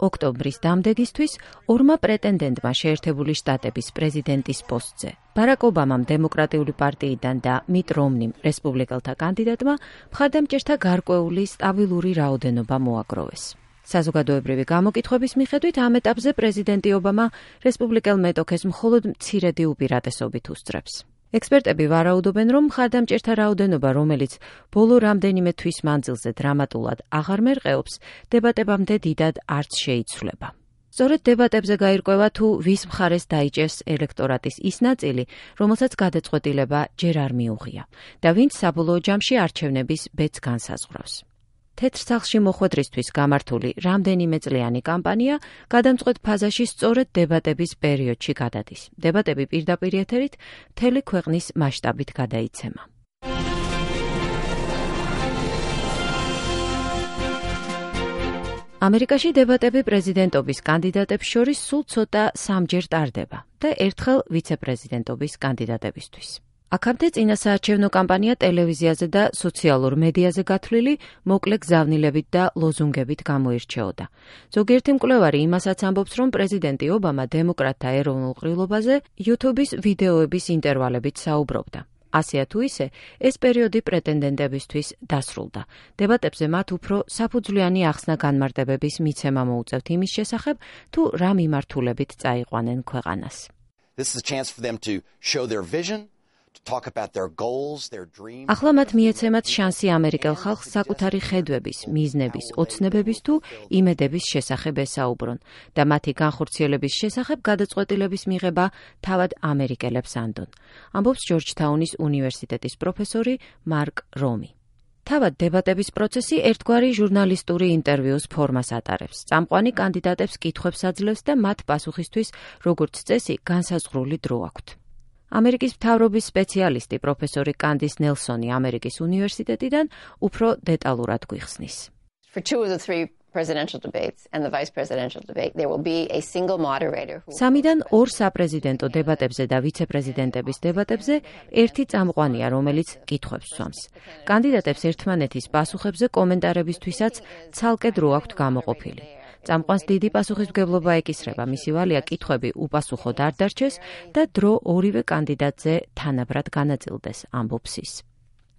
ოქტომბრის დამდეგისთვის ორმა პრეტენდენტმა შეერთებული შტატების პრეზიდენტის პოსტზე, ბარაკ ობამამ დემოკრატიული პარტიიდან და მიტ რომნიმ რესპუბლიკელთა კანდიდატმა მხარდამჭერთა გარკვეული სტაბილური რაოდენობა მოაგროვეს. საზოგადოებრივი გამოკითხვების მიხედვით ამ ეტაპზე პრეზიდენტი ობამა რესპუბლიკელ მეტოქეს მხოლოდ მცირედი უპირატესობით უსწრებს. ექსპერტები ვარაუდობენ, რომ მხარდამჭერთა რაოდენობა, რომელიც ბოლო რამდენიმე თვის მანძილზე დრამატულად აღარ მერყეობს, დებატებამდე დიდად არც შეიცვლება. სწორედ დებატებზე გაირკვევა თუ ვის მხარეს დაიჭერს ელექტორატის ის ნაწილი, რომელსაც გადაწყვეტილება ჯერ არ მიუღია და ვინც საბოლოო ჯამში არჩევნების ბედს განსაზღვრავს. თეთრ სახლში მოხვედრისთვის გამართული რამდენიმე წლიანი კამპანია გადამწყვეტ ფაზაში სწორედ დებატების პერიოდში გადადის. დებატები პირდაპირ ეთერით მთელი ქვეყნის მასშტაბით გადაიცემა. ამერიკაში დებატები პრეზიდენტობის კანდიდატებს შორის სულ ცოტა სამჯერ ტარდება და ერთხელ ვიცე-პრეზიდენტობის კანდიდატებისთვის. აქამდე წინასაარჩევნო კამპანია ტელევიზიაზე და სოციალურ მედიაზე გათვლილი მოკლე გზავნილებით და ლოზუნგებით გამოირჩეოდა. ზოგიერთი მკვლევარი იმასაც ამბობს, რომ პრეზიდენტი ობამა დემოკრატთა ეროვნულ ყრილობაზე YouTube-ის ვიდეოების ინტერვალებით საუბრობდა. ასეა თუ ისე, ეს პერიოდი პრეტენდენტებისთვის დასრულდა. დებატებზე მათ უფრო საფუძვლიანი ახსნა განმარტებების მიცემა მოუწევთ იმის შესახებ, თუ რა მიმართულებით წაიყვანენ ქვეყანას. ახლა მათ მიეცემათ შანსი ამერიკელ ხალხს საკუთარი ხედვების, მიზნების, ოცნებების თუ იმედების შესახებ ესაუბრონ და მათი განხორციელების შესახებ გადაწყვეტილების მიღება თავად ამერიკელებს ანდონ, ამბობს ჯორჯთაუნის უნივერსიტეტის პროფესორი მარკ რომი. თავად დებატების პროცესი ერთგვარი ჟურნალისტური ინტერვიუს ფორმას ატარებს. წამყვანი კანდიდატებს კითხვებს აძლევს და მათ პასუხისთვის, როგორც წესი, განსაზღვრული დრო აქვთ. ამერიკის მთავრობის სპეციალისტი პროფესორი კანდის ნელსონი ამერიკის უნივერსიტეტიდან უფრო დეტალურად გვიხსნის. სამიდან ორ საპრეზიდენტო დებატებზე და ვიცე-პრეზიდენტების დებატებზე ერთი წამყვანია, რომელიც კითხვებს სვამს. კანდიდატებს ერთმანეთის პასუხებზე კომენტარებისთვისაც ცალკე დრო აქვთ გამოყოფილი. წამყვანს დიდი პასუხისმგებლობა ეკისრება, მისი ვალია კითხვები უპასუხოდ არ დარჩეს და დრო ორივე კანდიდატზე თანაბრად განაწილდეს, ამბობს ის.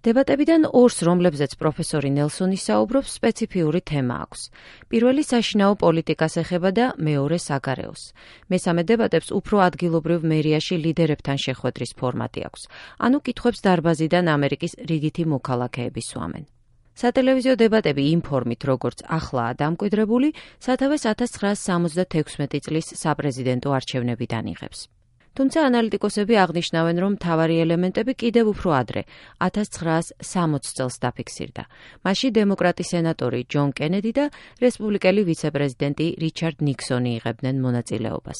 დებატებიდან ორს, რომლებზეც პროფესორი ნელსონი საუბრობს, სპეციფიური თემა აქვს. პირველი საშინაო პოლიტიკას ეხება და მეორე საგარეოს. მესამე დებატებს უფრო ადგილობრივ მერიაში ლიდერებთან შეხვედრის ფორმატი აქვს. ანუ კითხვებს დარბაზიდან ამერიკის რიგითი მოქალაქეები სვამენ. სატელევიზიო დებატები იმ ფორმით, როგორც ახლაა დამკვიდრებული, სათავეს 1976 წლის საპრეზიდენტო არჩევნებიდან იღებს. თუმცა ანალიტიკოსები აღნიშნავენ, რომ მთავარი ელემენტები კიდევ უფრო ადრე, 1960 წელს დაფიქსირდა. მასში დემოკრატი სენატორი ჯონ კენედი და რესპუბლიკელი ვიცე-პრეზიდენტი რიჩარდ ნიქსონი იღებდნენ მონაწილეობას.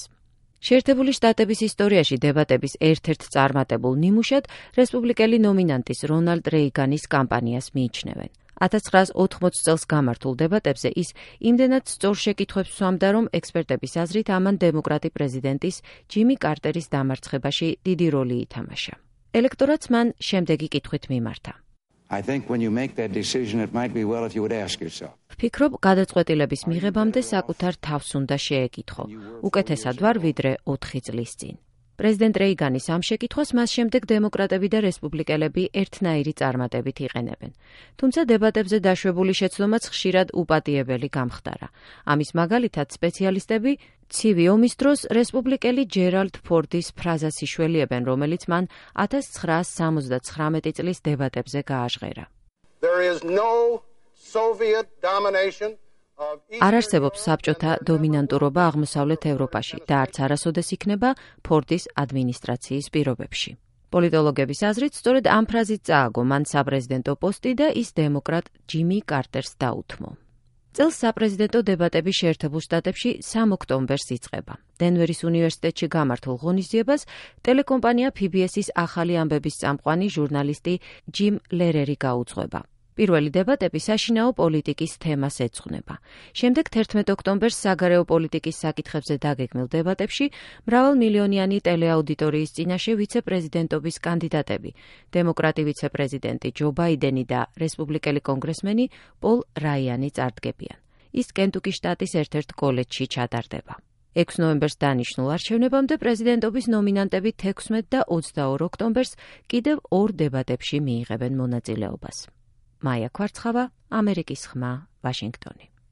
შეერთებული შტატების ისტორიაში დებატების ერთ-ერთ წარმატებულ ნიმუშად რესპუბლიკელი ნომინანტის რონალდ რეიგანის კამპანიას მიიჩნევენ. 1980 წელს გამართულ დებატებზე ის იმდენად სწორ შეკითხვებს სვამდა, რომ ექსპერტების აზრით ამან დემოკრატი პრეზიდენტის ჯიმი კარტერის დამარცხებაში დიდი როლი ითამაშა. ელექტორატს მან შემდეგი კითხვით მიმართა. ვფიქრობ, გადაწყვეტილების მიღებამდე საკუთარ თავს უნდა შეეკითხო. უკეთესად ვარ, ვიდრე 4 წლის წინ. პრეზიდენტ რეიგანის ამ შეკითხვას მას შემდეგ დემოკრატები და რესპუბლიკელები ერთნაირი წარმატებით იყენებენ. თუმცა დებატებზე დაშვებული შეცდომაც ხშირად უპატიებელი გამხდარა. ამის მაგალითად სპეციალისტები ცივი ომის დროს რესპუბლიკელი ჯერალდ ფორდის ფრაზას იშველიებენ, რომელიც მან 1979 წლის დებატებზე გააჟღერა. არ არსებობს საბჭოთა დომინანტურობა აღმოსავლეთ ევროპაში და არც არასოდეს იქნება ფორდის ადმინისტრაციის პირობებში. პოლიტოლოგების აზრით, სწორედ ამ ფრაზით წააგო მან საპრეზიდენტო პოსტი და ის დემოკრატ ჯიმი კარტერს დაუთმო. წელს საპრეზიდენტო დებატები შეერთებულ შტატებში 3 ოქტომბერს იწყება. დენვერის უნივერსიტეტში გამართულ ღონისძიებას ტელეკომპანია PBS-ის ახალი ამბების წამყვანი ჟურნალისტი ჯიმ ლერერი გაუძღვება. პირველი დებატები საშინაო პოლიტიკის თემას ეძღვნება. შემდეგ 11 ოქტომბერს საგარეო პოლიტიკის საკითხებზე დაგეგმილ დებატებში მრავალმილიონიანი ტელეაუდიტორიის წინაშე ვიცე-პრეზიდენტობის კანდიდატები, დემოკრატი ვიცე-პრეზიდენტი ჯო ბაიდენი და რესპუბლიკელი კონგრესმენი პოლ რაიანი წარდგებიან. ის კენტუკის შტატის ერთ-ერთ კოლეჯში ჩატარდება. 6 ნოემბერს დანიშნულ არჩევნებამდე პრეზიდენტობის ნომინანტები 16 და 22 ოქტომბერს კიდევ 2 დებატებში მიიღებენ მონაწილეობას. მაია ქვარცხავა, ამერიკის ხმა, ვაშინგტონი.